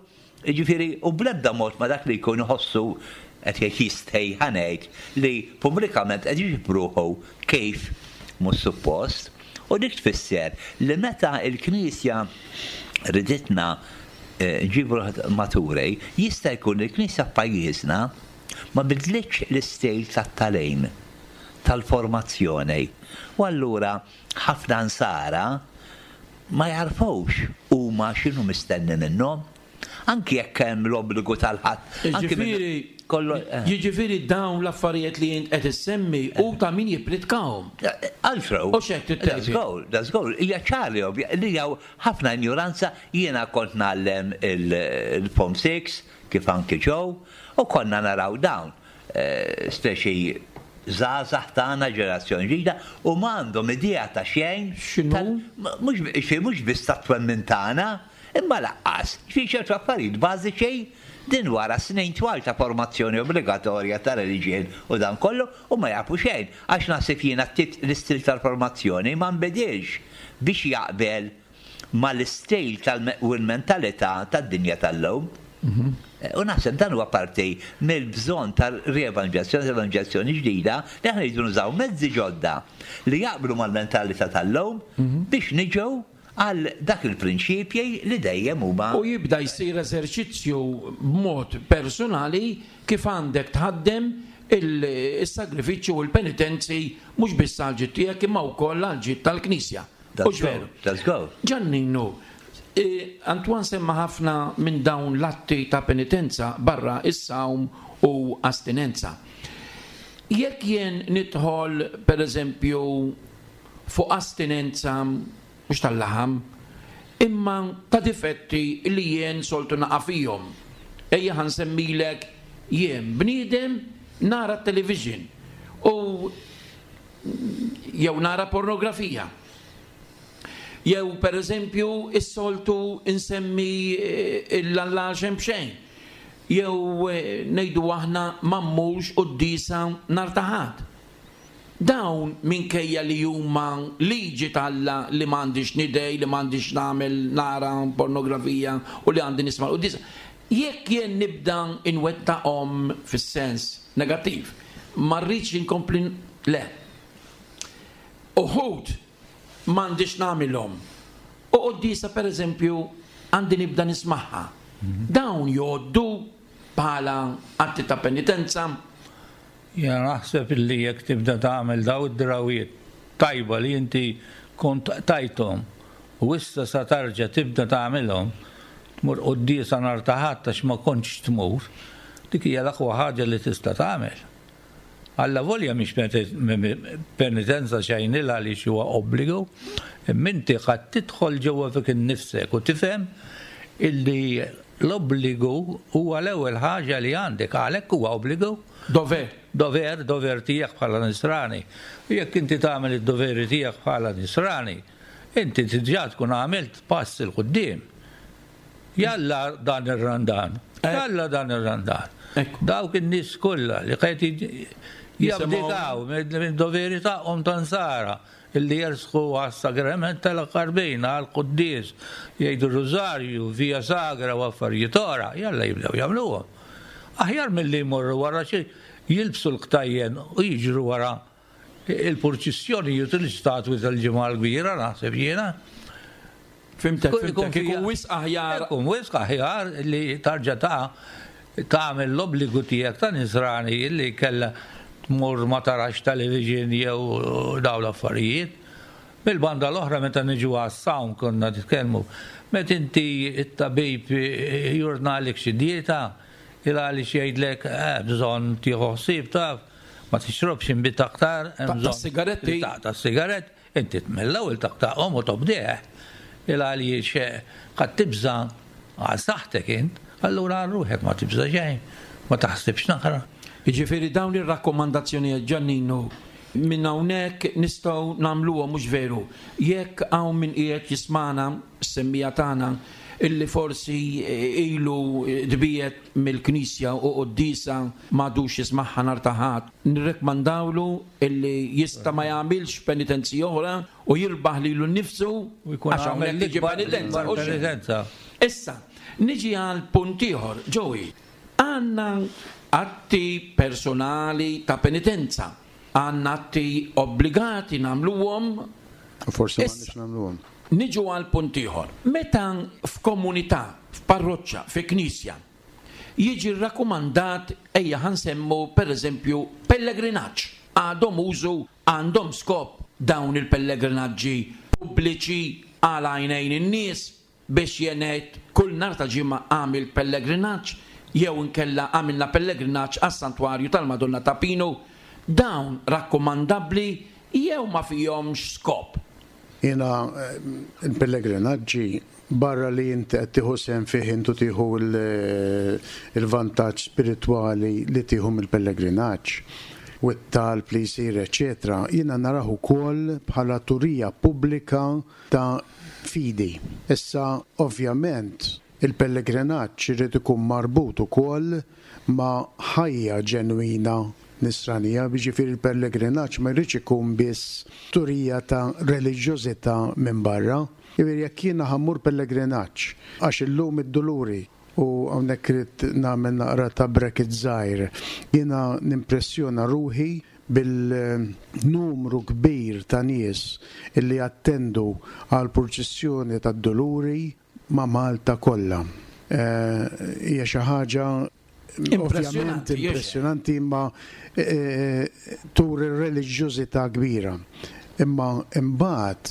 Jiġifieri, u bl-ebda mod ma dak li jkun iħossu qed jgħid jistħi, ħa ngħid, li pubblikament qed iġib ruħu kif mhux suppost. U dik tfisser li meta l-Knisja riditna nġibu ruħna maturi, jista' jkun li l-Knisja f'pajjiżna ma bidlitx l-istil tat-tagħlim, tal-formazzjoni. U allura Ħafna Nsara ma jagħrfux huma x'inhu mistenni minnhom, anki jekk hemm l-obbligu tal-Ħadd. Jiġifieri, jiġifieri dawn l-affarijiet li int qed issemmi hu ta' min jippritkahom. Altro. U x'hekk trid tgħid? Dażgur, dażgur, hija ċar li ovvja li hawn ħafna injuranza. Jiena kont ngħallem il-Form Six, kif anki Joe, u konna naraw dawn. Speċi żgħażagħ tagħna, ġenerazzjoni ġdida, u ma għandhom idea ta' xejn. X'inhu? Mhux mhux biss tat-twemmin tagħna, imma lanqas fi ċertu affarijiet bażiċi din wara snin twal ta' formazzjoni obbligatorja ta' reliġjon u dan kollu u ma jafu xejn. Għax naħseb jiena l-istil tal-formazzjoni ma nbidilx biex jaqbel mal-istil u l-mentalità tad-dinja tal-lum. U naħseb dan huwa parti mill-bżonn ta' rievanġelizzazzjoni, ta' evanġelizzazzjoni ġdida, li aħna rridu nużaw mezzi ġodda li jaqblu mal-mentalità tal-lum biex niġu għal dak il-prinċipji li dejjem huma. U jibda jsir eżerċizzju b'mod personali kif għandek tħaddem is-sagrifiċċju u l-penitenzi mhux biss għall-ġid tiegħek imma wkoll għall-ġid tal-Knisja. Hux veru? Ġanninu, Antoine semma ħafna minn dawn l-atti ta' penitenza barra s-sawm u astinenza. Jekk jien nidħol pereżempju fuq astinenza mhux tal-laħam, imma ta' difetti li jien soltu naqa' fihom. Ejja ħa nsemmilek jien bniedem nara t-television u jew nara pornografija. Jew pereżempju is-soltu nsemmi l-Alla xejn b'xejn. Jew ngħidu aħna ma mmurx quddiesa nhar ta' Ħadd. Dawn minkejja li huma liġi t'Alla li m'għandix nidgħi, li m'għandix nagħmel nara pornografija u li għandi nisma' l-quddiesa, jekk jien nibda nwettaqhom fis-sens negattiv, ma rridx inkompli le. Uħud m'għandix nagħmilhom. U quddiesa pereżempju għandi nibda nismagħha. Dawn jgħoddu bħala atti ta' penitenza? Jiena naħseb illi jekk tibda tagħmel daw id-drawwiet tajba li inti kont qtajthom u issa sa tarġa' tibda tagħmilhom, tmur quddiesa nhar ta' Ħadd għax ma kontx tmur, dik hija l-aqwa ħaġa li tista' tagħmel. Allavolja mhix penitenza xejn il għaliex huwa obbligu, imma inti qed tidħol ġewwa fik innifsek u tifhem illi l-obbligu huwa l-ewwel ħaġa li għandek, għalhekk huwa obbligu. Dover. Dover, dover tiegħek bħala nisrani. U jekk inti tagħmel id-doveri tiegħek bħala nisrani, inti diġà tkun għamilt pass 'il quddiem. Jalla dan ir-Randan, jalla dan ir-Randan. Dawk in-nies kollha li qed jabdikaw mid-doveri tagħhom ta' nsara illi jersqu għas-sagrament tal-Qarbina, għall-quddies, jgħidu r-Rużarju, Via Sagra u affarijiet oħra, jalla jibdew jagħmluhom. Aħjar milli jmorru wara xi. jilbsu l-ktajjen u jiġru wara il-purċissjonijiet u l-istatwi tal-Ġimgħa l-Kbira naħseb jiena. Fimtek, fimtek, ikun wisq aħjar. Ikun wisq aħjar li tarġa' ta' tagħmel l-obbligu tiegħek ta' nisrani li kellha tmur ma tarax television jew dawn l-affarijiet. Mill-banda l-oħra meta niġu għas-sawm konna nitkellmu, meta inti t-tabib jordnalek xi dieta, il għaliex jgħidlek eh, bżonn tieħu ħsieb taf, ma tixrobx inbid aktar, hemm bżonn. sigaretti. Taqta' sigaret, inti mill-ewwel taqtaqhom u tobdih. Il għaliex qed tibża' għal saħħtek int, allura għal ruħek ma tibża' xejn, ma taħsibx naqra. Jiġifieri dawn ir-rakkomandazzjonijiet Giannino minn hawnhekk nistgħu nagħmluhom mhux veru. Jekk hawn min qiegħed jismagħna, s-semmiegħa tagħna, illi forsi ilu tbiegħed mill-Knisja u quddiesa m'għadux jismagħha nhar ta' Ħadd, nirrekkmandawlu illi jista' ma jagħmilx penitenzi oħra u jirbaħ lilu nnifsu għax hawnhekk tiġi penitenza. Penitenza. Issa, niġi għal punt ieħor, Joey. Għandna atti personali ta' penitenza. Għandna atti obbligati nagħmluhom. U forsi m'għandniex nagħmluhom. Niġu għal punt ieħor. Meta f'komunità, f'parroċċa, fi knisja, jiġi rrakkomandat ejja ħa nsemmu pereżempju pellegrinaġġ, għadhom użu, għandhom skop dawn il-pellegrinaġġi pubbliċi għal għajnejn in-nies biex jien ngħid kull nhar ta' Ġimgħa għamilt pellegrinaġġ jew inkella għamilna pellegrinaġġ għas-Santwarju tal-Madonna ta' Pinu, dawn rakkomandabbli jew ma fihomx skop? Jiena l-pellegrinaġġi barra li inti qed tieħu sehem fih int u tieħu l-vantaġġ spiritwali li tieħu mill-pellegrinaġġ u t-talb li jsir eċċetera, jiena narah ukoll bħala turija pubblika ta' fidi. Issa ovvjament il-pellegrinaġġ irid ikun marbut ukoll ma' ħajja ġenwina nisranija, jiġifieri l-pellegrinaġġ ma jridx ikun biss turija ta' reliġjożità minn barra. Jiġifieri jekk jiena ħa mmur pellegrinaġġ għax illum id-Duluri, u hawnhekk irrid nagħmel naqra ta' bracket żgħir, jiena nimpressjona ruħi bil-numru kbir ta' nies illi jattendu għall-purċissjoni tad-Duluri ma' Malta kollha. Hija xi ħaġa ovvjament impressjonanti imma turi reliġjożità kbira. Imma imbagħad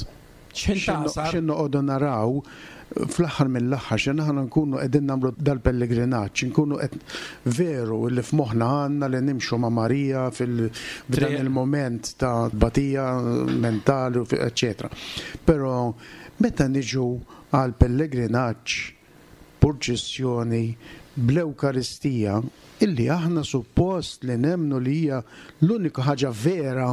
x'ħin noqogħdu naraw fl-aħħar mill-aħħar x'ħin aħna nkunu qegħdin nagħmlu dal-pellegrinaġġ, inkunu qed veru li f'moħħna għandna li nimxu ma' Marija f'dan il-mument ta' tbatija mentali eċċetera. Però meta niġu għall-pellegrinaġġ purċissjoni bl-Ewkaristija, illi aħna suppost li nemmnu li hija l-unika ħaġa vera,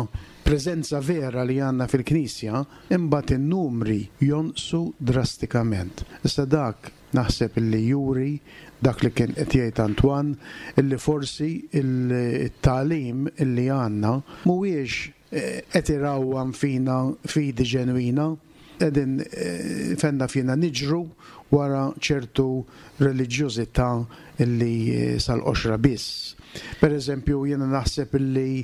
preżenza vera li għandna fil-Knisja, imbagħad in-numri jonqsu drastikament. Issa dak naħseb illi juri dak li kien qed jgħid Antoine, illi forsi t-tagħlim illi għandna mhuwiex qed irawwam fina fidi ġenwina, qegħdin fenna fina niġru wara ċertu reliġjożità li sal-qoxra biss. Per eżempju, jiena naħseb li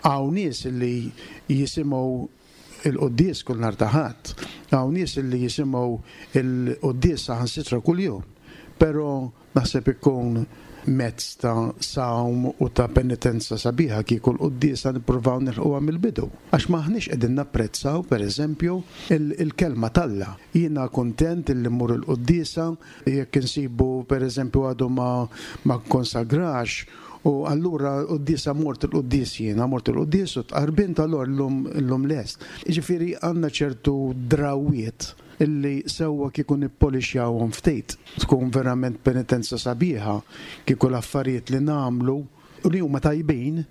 hawn nies li jisimgħu il-quddies kull nhar ta' Ħadd, hawn nies li jisimgħu il-quddies saħansitra kuljum, però Naħseb ikun mezz ta' sawm u ta' penitenza sabiħa kieku l-quddiesa nippruvaw nilħquha mill-bidu. Għax m'aħniex qegħdin napprezzaw, per eżempju, il-Kelma t'Alla. Jiena kuntent illi mmur il-quddiesa jekk insibu, per eżempju, għadu ma ma kkonsagrax u allura l-quddiesa mort il-quddies jiena, mort il-quddies u tqarbint allura llum illum lest. Jiġifieri għandna ċertu drawwiet illi sewwa kieku nippolixjawhom ftit. Tkun verament penitenza sabiħa kieku l-affarijiet li nagħmlu, u li huma tajbin,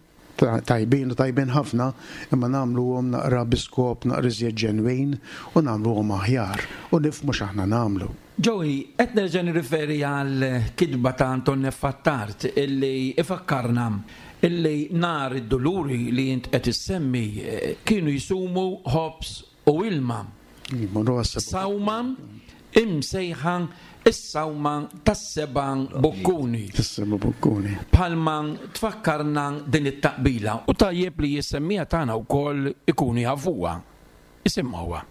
tajbin u tajbin ħafna, imma nagħmluhom naqra bi skop naqra iżjed ġenwin u nagħmluhom aħjar u nifhmu x'aħna nagħmlu. Joey, qed nerġa' nirriferi għall-kitba ta' Anton F. Attard illi ifakkarna illi nhar id-Duluri li int qed issemmi kienu jsumu ħobż u ilma. Sawma imsejħa Is-sawma tas-seba' bukkuni. Tas-seba' bukkuni. Bħalma tfakkarna din it-taqbila u tajjeb li s-semmiegħa tagħna wkoll ikunu jafuha. Isimgħuha.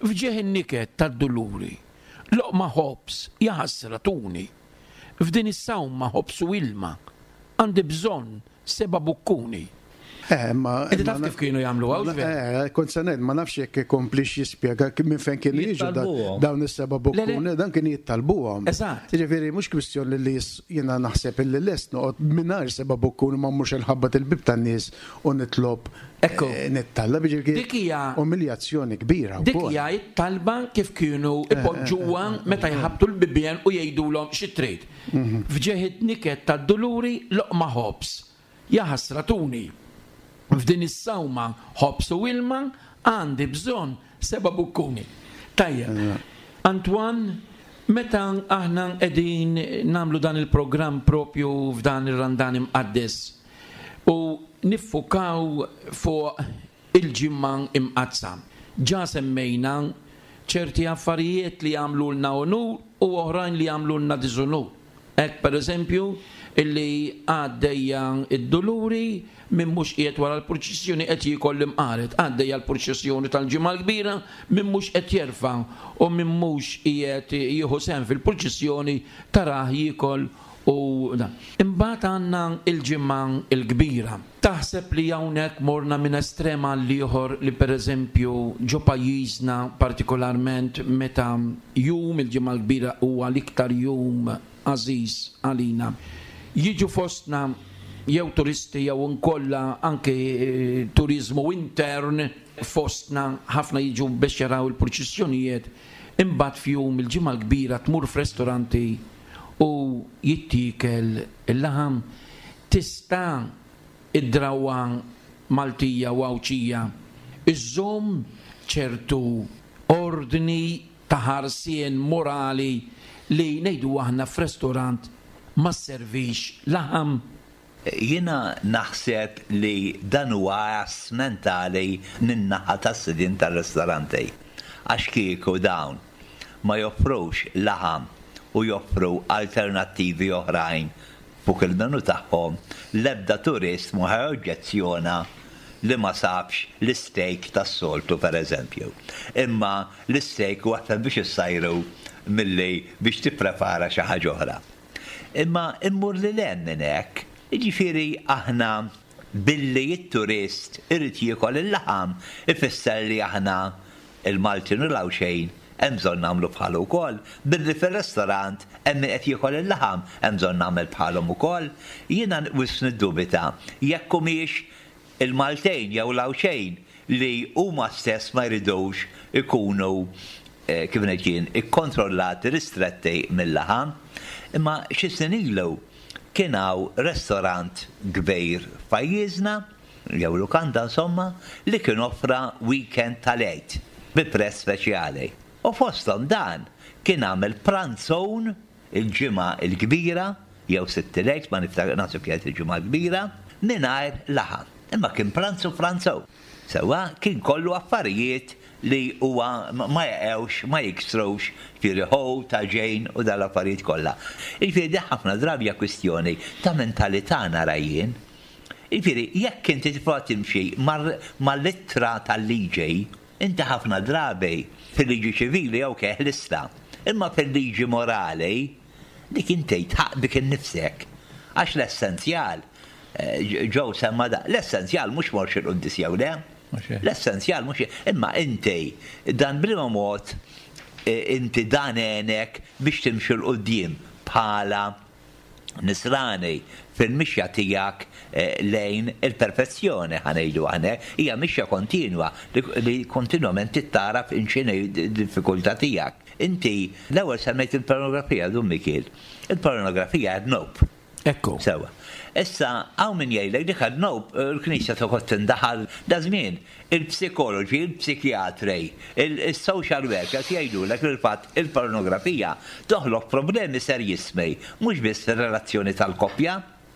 F'ġieħ in-niket tad-duluri, loqma ħobż jaħasra tuni. F'din is-sawma ħobż u ilma, għandi bżonn Seba' bukkuni. Eh, ma. Inti taf kif kienu jagħmlu hawn? Eh, kont se ngħid, ma nafx jekk ikomplix jispjega minn fejn kienu jiġu dawn is-seba' bukkuni, dan kien jittalbuhom. Eżatt. Jiġifieri mhux kwistjoni li jiena naħseb illi lest noqgħod mingħajr seba' bukkuni ma mmurx inħabbat il-bieb tan-nies u nitlob Ekku. Eh, nittallab jiġifieri Dik hija umiljazzjoni kbira Dik hija t-talba kif kienu eh, ipoġġuha meta jħabbtu l-bibien u jgħidulhom xi trid. F'ġieħ it-niket tad-duluri loqma ħobż. Jaħasra tuni. F'din is-sawma ħobż u ilma għandi bżonn seba' bukkuni. Tajjeb. Antoine, meta aħna qegħdin nagħmlu dan il-programm propju f'dan ir-Randan Imqaddes u niffukaw fuq il-Ġimgħa Imqaddsa. Ġa semmejna ċerti affarijiet li jagħmlulna unur u oħrajn li jagħmlulna diżunur. Hekk, per eżempju, illi għaddejja d-Duluri, min mhux qiegħed wara l-purċissjoni qed jiekol l-imqaret. Għaddejja l-purċissjoni tal-Ġimgħa l-Kbira, min mhux qed jerfa' u min mhux qiegħed jieħu sehem fil-purċissjoni tarah jiekol u dan. Imbagħad għandna l-Ġimgħa l-Kbira. Taħseb li hawnhekk morna minn estrem għall-ieħor li pereżempju ġo pajjiżna partikolarment meta jum il-Ġimgħa l-Kbira huwa l-iktar jum għażiż għalina jiġu fostna jew turisti jew inkolla anke turiżmu intern fostna ħafna jiġu biex jaraw il-purċissjonijiet imbagħad f'jum il-Ġimgħa l-Kbira tmur f'restoranti u jittiekel il-laħam Tista' id-drawwa Maltija u Għawdxija żżomm ċertu ordni ta' ħarsien morali li ngħidu aħna f'restorant ma sservix laħam? Jiena naħseb li dan huwa għażż mentali min-naħa tas-sidien tar-ristoranti. Għax kieku dawn ma joffrux laħam u joffru alternattivi oħrajn Fuq il-menu tagħhom, l-ebda turist mhu ħa joġġezzjona li ma sabx l-istejk tas-soltu pereżempju. Imma l-istejk huwa aktar biex issajru milli biex tipprepara xi ħaġa oħra. Imma immur lil hemm minn hekk, jiġifieri aħna billi t-turist irid jiekol il-laħam ifisser li aħna Il-Maltin u l-Għawdxejn hemm bżonn nagħmlu bħalu wkoll. Billi fir-restorant hemm min qed jiekol il-laħam, hemm bżonn nagħmel bħalhom ukoll. Jiena wisq niddubita jekk humiex il-Maltejn jew l-Għawdxejn li huma stess ma jridux ikunu, kif ngħid jien, ikkontrollati, ristretti mil-laħam. Imma xi snin ilu kien hawn restorant kbir f'pajjiżna, jew lukanda insomma, li kien offra weekend tal-Għid bi prezz speċjali. U fosthom dan kien għamel pranzun il-Ġimgħa l-Kbira jew Sibt il-Għid, ma niftakar, naħseb kienet il-Ġimgħa l-Kbira, mingħajr laħam. Imma kien pranzu pranzun. Sewwa, kien kollu affarijiet li huwa ma jaqgħux, ma jiksrux, jiġifieri ħut, għaġin u dawn l-affarijiet kollha. Jiġifieri din ħafna drabi hija kwistjoni ta' mentalità nara jien. Jiġifieri, jekk inti tibqa' timxi mal-ittra tal-liġi, inti ħafna drabi fil-liġi ċivili ok ħlistha, imma fil-liġi morali dik inti tħaqq bik innifsek. Għax l-essenzjal, Joe semma dan, l-essenzjal mhux mortx il-quddies jew le. L-essenzjal mhux imma inti dan b'liema mod inti dan għenek biex timxi 'l quddiem bħala Nisrani fil-mixja tiegħek lejn il-perfezzjoni, ħa ngħidu aħna hekk, hija mixja kontinwa li kontinwament trid tagħraf x'inhi d-diffikultà tiegħek. Inti l-ewwel semmejt il-pornografija, Dun Mikiel. Il-pornografija hija dnub. Ekku. Sewwa. Issa hawn min jgħidlek dik dnub, il-Knisja toqgħod tindaħal. Daż-żmien Il-psikoloġi, il-psikjatri, is-social workers jgħidulek li l-fatt il-pornografija toħloq problemi serjissmi mhux biss fir-relazzjoni tal-koppja,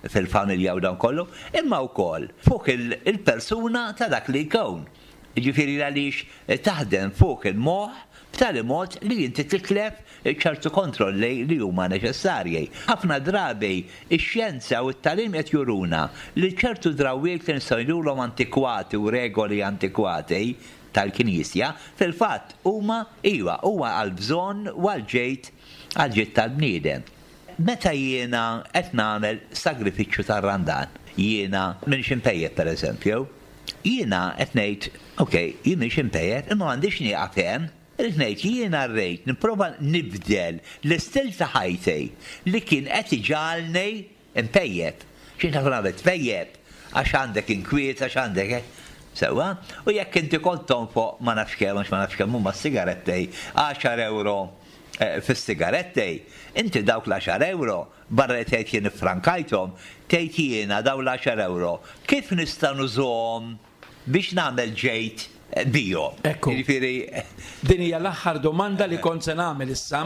fil-familja u dan kollu, imma wkoll fuq il-persuna ta' dak li jkun. Jiġifieri għaliex taħdem fuq il-moħħ b'tali mod li inti titlef ċertu kontrolli li huma neċessarji. Ħafna drabi x-xjenza u t-tagħlim qed juruna li ċertu drawwiet li nistgħu ngħidulhom antikwati u regoli antikwati tal-Knisja, fil-fatt huma, iva, huma għall-bżonn u għall-ġid, għall-ġid tal-bniedem. Meta jiena qed nagħmel sagrifiċċju tar-Randan, jiena m'iniex impejjep pereżempju, jiena qed ngħid, ok, jien m'iniex impejjep, imma m'għandix nieqaf hemm. Irrid ngħid li jiena rrid nipprova nibdel l-istil ta' ħajti li kien qed iġagħalni Impejjep. Xi tkun għamel tpejjep għax għandek inkwiet, għax għandek hekk. Sewwa? U jekk inti kont tonfoq ma nafx kemm, għax ma nafx kemm huma s-sigaretti, għaxar ewro fis-sigaretti, inti dawk l-għaxar ewro, barra li tgħid jien iffrankajthom, tgħid jiena dawn l-għaxar ewro kif nista' nużahom biex nagħmel ġejt bihom. Ekku. Jiġifieri. Din hija l-aħħar domanda li kont se nagħmel issa.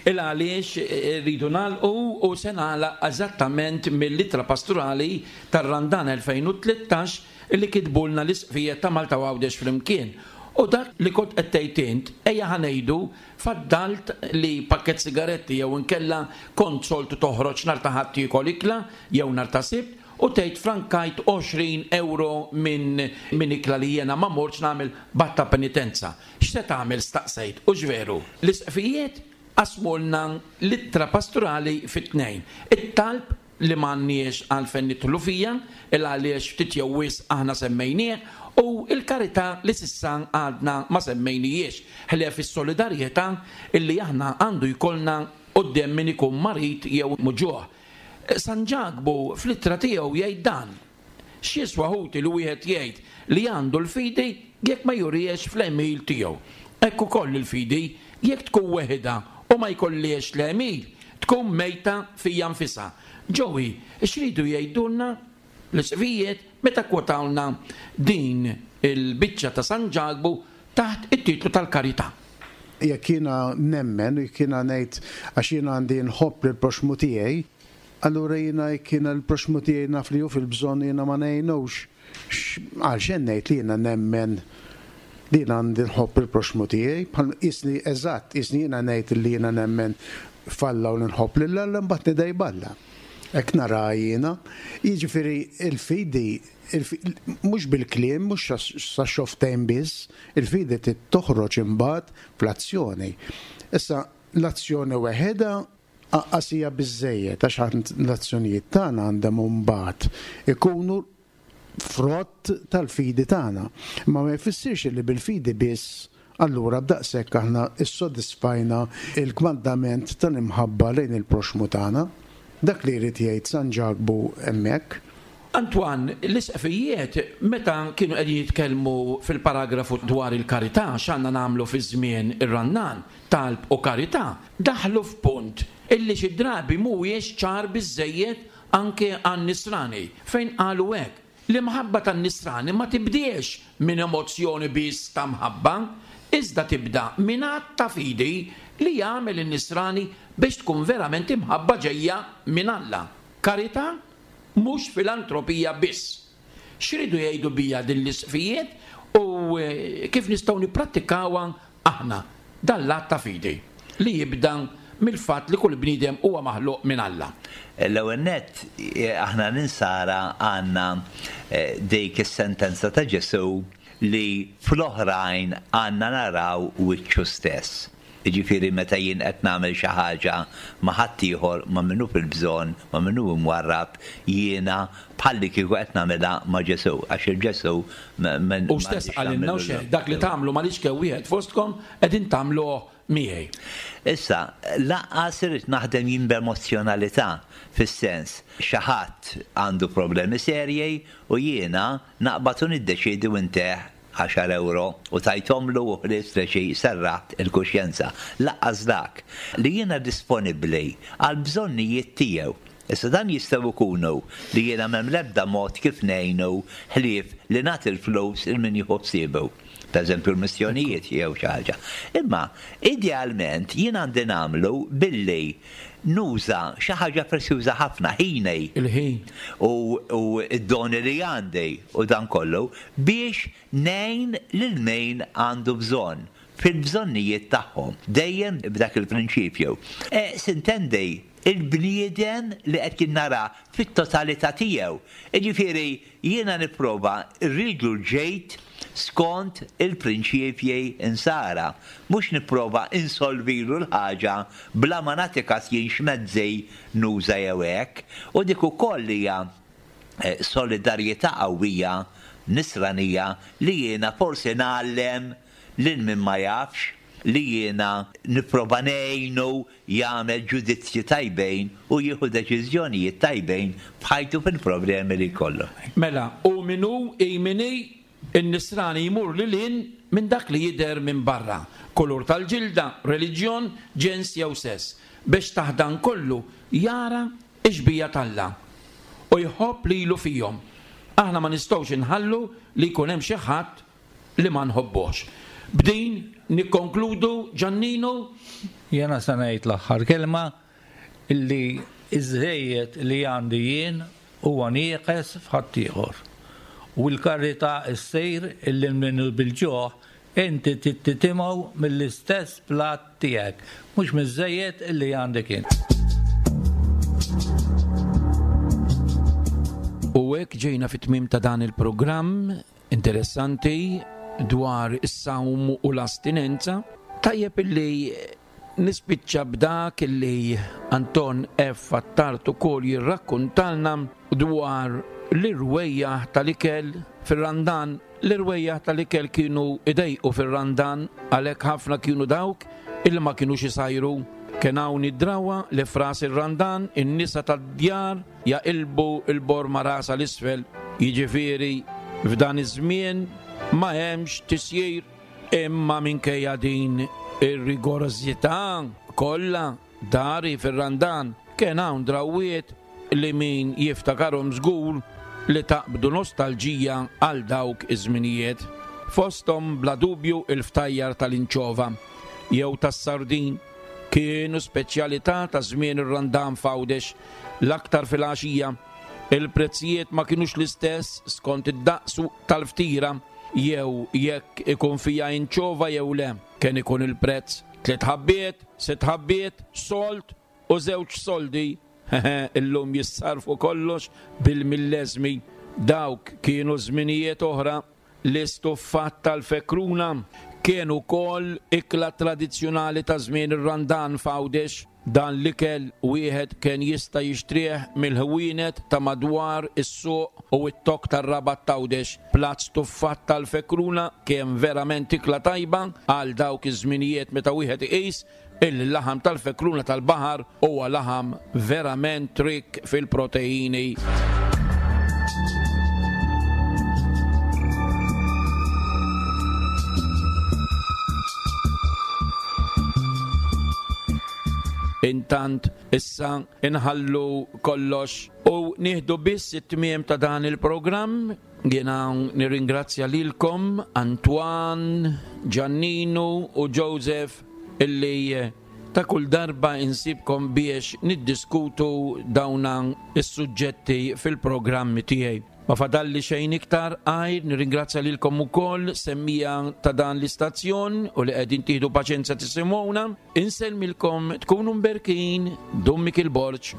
Il għaliex rridu nagħlqu u se nagħlaq eżattament mill-ittra pastorali tar-Randan 2013 li kitbulna l-Isqfijiet ta' Malta u Għawdex flimkien. U dak li kont qed tgħid int, ejja ħa ngħidu faddalt li pakkett sigaretti jew inkella kont soltu toħroġ nhar ta' Ħadd tiekol ikla jew nhar ta' Sibt, U tgħid frankajt 20 ewro minn minn ikla li jiena ma mortx nagħmel b'att ta' penitenza. X'se tagħmel staqsejt, hux veru? L-isqfijiet qasmulna l-ittra pastorali fi tnejn. It-talb li m'għandniex għalfejn nidħlu fija, il għaliex ftit jew wisq aħna semmejnieh, u l-karità li s'issa għadna ma semmejnihiex, ħlief is-solidarjetà illi aħna għandu jkollna quddiem min ikun marid jew muġugħ. San Ġakbu fl-ittra tiegħu jgħid dan, X'jiswa ħuti li wieħed jgħid li għandu l-fidi jekk ma jurihiex fl-għemil tiegħu? Hekk ukoll il-fidi, jekk tkun weħidha u ma jkollhiex l-għemil, tkun mejta fija nfisha. Joey, x'ridu jgħidulna l-isqfijiet meta kkwotawlna din il-biċċa ta' San Ġakbu taħt it-titlu tal-karità. Jekk jiena nemmen u jekk jiena ngħid għax jiena għandi nħobb lill-proxxmu tiegħi, allura jiena jekk jiena l-proxxmu tiegħi naf li hu fil-bżonn u jiena ma ngħinux, għalxejn ngħid li jiena nemmen li jiena għandi nħobb il-proxxmu tiegħi, bħal qisni eżatt, qisni jiena ngħid li jiena nemmen f'Alla u li nħobb lil Alla mbagħad nidgħi b'Alla. Hekk naraha jiena. Jiġifieri l-fidi Mhux bil-kliem, mhux sax-xofftejn biss, il-fidi trid toħroġ imbagħad fl-azzjoni. Issa, l-azzjoni weħidha anqas hija biżżejjed għax l-azzjonijiet tagħna għandhom imbagħad ikunu frott tal-fidi tagħna. Imma ma jfissirx li bil-fidi biss allura b'daqshekk aħna ssodisfajna l-kmandament tal-imħabba lejn il-proxxmu tagħna. Dak li jrid jgħid San Ġakbu hemmhekk. Antoine, l-isqfijiet meta kienu qegħdin jitkellmu fil-paragrafu dwar il-karità, x'għandna nagħmlu fi żmien ir-Randan, talb u karità, daħlu f'punt illi xi drabi mhuwiex ċar biżżejjed anke għan-Nisrani, fejn qalu hekk, L-imħabba tan-Nisrani ma tibdiex minn emozzjoni biss ta' mħabba, iżda tibda minn att ta' fidi li jagħmel in-Nisrani biex tkun verament imħabba ġejja minn Alla. Karità, mhux filantropija biss. X'riedu jgħidu biha din l-isqfijiet u kif nistgħu nipprattikawha aħna dan l-att ta' fidi li jibda mill-fatt li kull bniedem huwa maħluq minn Alla? L-ewwel nett, aħna l-Insara għandna dik is-sentenza ta' Ġesù li fl-oħrajn għandna naraw wiċċu stess. Jiġifieri meta jien qed nagħmel xi ħaġa ma' ħaddieħor, ma' min hu fil-bżonn, ma' min hu imwarrab, jiena bħallikieku qed nagħmilha ma' Ġesù, għax il-Ġesù Hu stess qalilna, hux hekk, Dak li tagħmlu mal-iċken wieħed fostkom qegħdin tagħmluh miegħi. Issa, lanqas irrid naħdem jien b'emozzjonalità, fis-sens, xi ħadd għandu problemi serji u jiena naqbad u niddeċiedi u nteh għaxar ewro u tajthomlu u ħlist li xi serraħt il-kuxjenza. Lanqas dak. Li jiena disponibbli għall-bżonnijiet tiegħu. Issa dan jistgħu jkunu li jiena m'hemm l-ebda mod kif ngħinu ħlief li nagħti l-flus lil min jieħu ħsiebu. Pereżempju l-missjonijiet jew xi ħaġa. Imma idealment jien għandi nagħmlu billi nuża xi ħaġa prezzjuża ħafna, ħini. Il-ħin. U d-doni li għandi u dan kollu biex ngħin lil min għandu bżonn. fil-bżonnijiet tagħhom, dejjem b'dak il-prinċipju. Sintendi, il-bniedem li qed jien nara fit-totalità tiegħu. Jiġifieri jiena nipprova rridlu l-ġid skont il-prinċipji Nsara, mhux nipprova insolvilu l-ħaġa bla ma nagħti kas jien x'mezzi nuża jew hekk. U dik ukoll hija solidarjetà qawwija Nisranija li jiena forsi ngħallem lil min ma jafx li jiena nipprova ngħinu jagħmel ġudizzji tajbin u jieħu deċiżjonijiet tajbin f'ħajtu fil-problemi li jkollu. Mela, hu min hu, hi min hi, in-Nisrani jmur lil hinn minn dak li jidher minn barra, kulur tal-ġilda, reliġjon, ġens jew sess, biex taħt dan kollu jara x-xbieha t'Alla u jħobb lilu fihom. Aħna ma nistgħux inħallu li jkun hemm xi ħadd li ma nħobbuhx. B'din nikkonkludu, Ġanninu. Jiena se ngħid l-aħħar kelma illi ż-żejjed li għandi jien huwa nieqes f'ħaddieħor. U l-karità ssir illi min hu bil-ġuħ inti trid titimgħu mill-istess platt tiegħek, mhux miż-żejjed illi għandek int. U hekk ġejna fit-tmiem ta' dan il-programm. Interessanti dwar is-sawm u l-astinenza. Tajjeb illi nispiċċa b'dak illi Anton F. Attard ukoll jirrakkuntalna dwar l-irwejjaħ tal-ikel fir-Randan. L-irwejjaħ tal-ikel kienu idejqu fir-Randan għalhekk ħafna kienu dawk illi ma kinux isajru. Kien hawn id-drawwa li f'ras ir-Randan in-nisa tad-djar jaqilbu l-borma rasha 'l isfel, jiġifieri f'dan iż-żmien ma hemmx tisjir. Imma minkejja din ir-rigorożità kollha dari fir-Randan kien hawn drawwiet li min jiftakarhom żgur li taqbdu nostalġija għal dawk iż-żminijiet. Fosthom bla dubju il-ftajjar tal-inċova jew tas-sardin kienu speċjalità ta' żmien ir-Randan f'Għawdex. L-aktar filgħaxija, il-prezzijiet ma kinux l-istess skont id-daqs tal-ftira jew jekk ikun fiha inċova jew le. Kien ikun il-prezz tliet ħabbiet, sitt ħabbiet, sold u żewġ soldi. Hehe, illum jissarrfu kollox bil-milleżmi. Dawk kienu żminijiet oħra. L-istuffat tal-fekruna kien ukoll ikla tradizzjonali ta' żmien ir-Randan f'Għawdex. Dan l-ikel wieħed kien jista' jixtrih mill-ħwienet ta' madwar is-suq u t-tokk tar-Rabat t'Għawdex. Platt stuffat tal-fekruna kien verament ikla tajba għal dawk iż-żminijiet meta wieħed iqis Illi l-laħam tal-fekruna tal-baħar huwa laħam verament rikk fil-proteini. Intant issa inħallu kollox u nieħdu biss it-tmiem ta' dan il-programm. Jiena nirringrazzja lilkom Antoine, Giannino u Joseph illi ta' kull darba insibkom biex niddiskutu dawna is-suġġetti fil-programmi tiegħi. Ma fadalli xejn iktar għajr nirringrazzja lilkom ukoll semmija ta' dan l-istazzjon u li qegħdin tieħdu paċenzja tisimgħuna. Insellmilkom tkunu mberkin Dun Mikiel Borg.